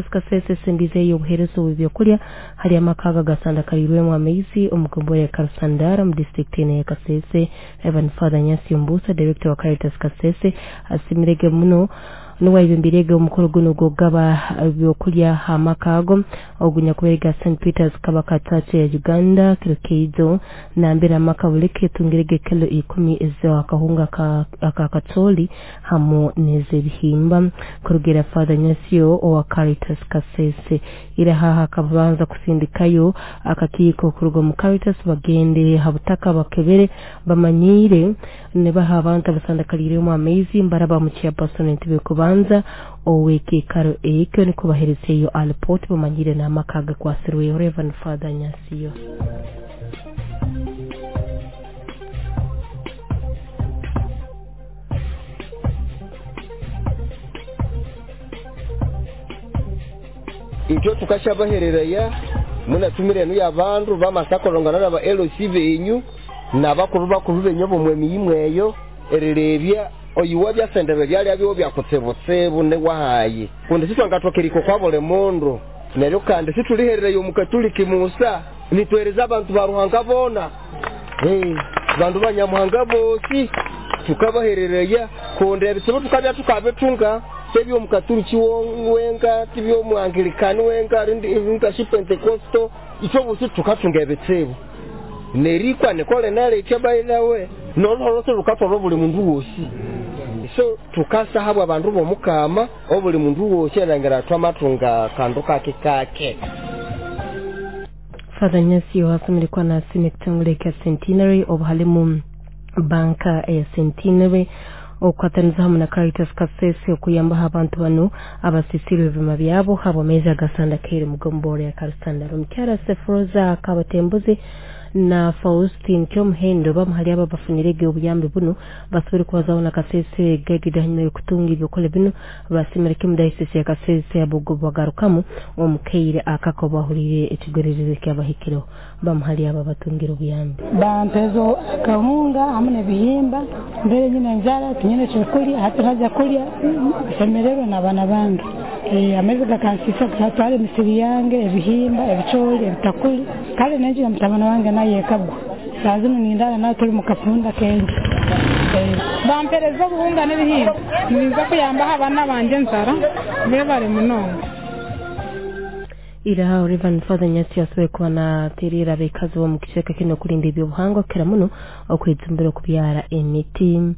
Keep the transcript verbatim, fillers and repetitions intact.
Kasese esembizeyo obuheereza obw'ebyokulya hali amaka aga gasandakaliirwemu amaizi omu gombolola ya Karusandara mu disitulikiti eno eya Kasese. Reverend Father Nyasio Mbusa, Director wa Caritas Kasese, asimirege muno nuwe ayebembirege omukoro guno gw'okugaba ebyokulya ha maka ago ogunyakuberega Saint Peters Kabaka Church ya Uganda kiro keijo nambere amaka buleke etungirege kilo ikumi ez'akahunga akakatoli hamu n'ez'ebihimba. Kurugera Father Nyasio owa Caritas Kasese ira haha akabanza kusindikayo akakiiko kuruga mu Caritas bagende ha butaka bakebere bamanyire nibaha abantu abasandakaliiremu amaizi mbaraba mu chairperson entebe kubanza ow'ekiikaro ekyo nikubaherezeyo alipoti bamanyire n'amaka agakwasirweho. Reverend Father Nyasio. Itwe tukashabahereraya munatumire enu y'abandu bamasakolongana n'aba L C benyu n'abakuru bakuru benyu bomwe imweyo erirebya oyiwa byasendebe byali abiwo byakutsebutsebu ne wahaye kundi sitwangatwakeriko kwa bole mundu neryo kandi situliherereyo omukatuliki Musa nitwereza abantu ba Ruhanga bona eh bandu banyamuhanga bosi tukabaherereya kundi ebitsibu tukabya tukabitunga tebyo omukatuliki wenga tibyo omuangilikani wenga rindi shi Pentecosto icho bosi tukatunga ebitsibu nerikwa nikole nale ekyabainawe nololose lukatwala buli mundu wosi so tukasahabwa abantu bomukama obuli mundu wosi erangira twamatunga kandu kake kake. Father Nyasio asomerekuwa na asime ekitongole kya Centenary obuhalimu banka ya Centenary okukwataniza hamu na Caritas Kasese okuyambaho abantu bano abasisirwe ebima byabo habw'amaizi agasandakaire mu gombolola ya Karusandara. Omukyara Sefroza Kabatembuzi na Faustin Kyomuhendo bamuhali aba bafunirege obuyambi buno basobole kubazaho na Kasese gaigide hanyuma y'okutunga ebyokulya bino basimire kimu dayosisi ya Kasese abogo bagarukamu omukaire akako bahurire ekigwererezi kyabahikireho bamuhali aba batungire obuyambi. Bampezo akahunga hamwe n'ebihimba mbere nyine njara tinyine kyokulya hati haja kulya semererwe n'abaana bange. E, amaizi gakansisa gatwara emisiri yange ebihimba ebicoori ebitakuli kale nenju ya mutabani wange naye ekagwa saa zino nindara nawe tuli mu kafunda kengi. E, bampereza obuhunga n'ebihimba nibiza kuyambaho abaana banje enzara bebare munonga. Ira Reverend Father Nyasio asoboye kuba naterera abekazi bo mu kiceka kino kurinda ebyobuhangwa kira muno okwejumbira okubyara emiti.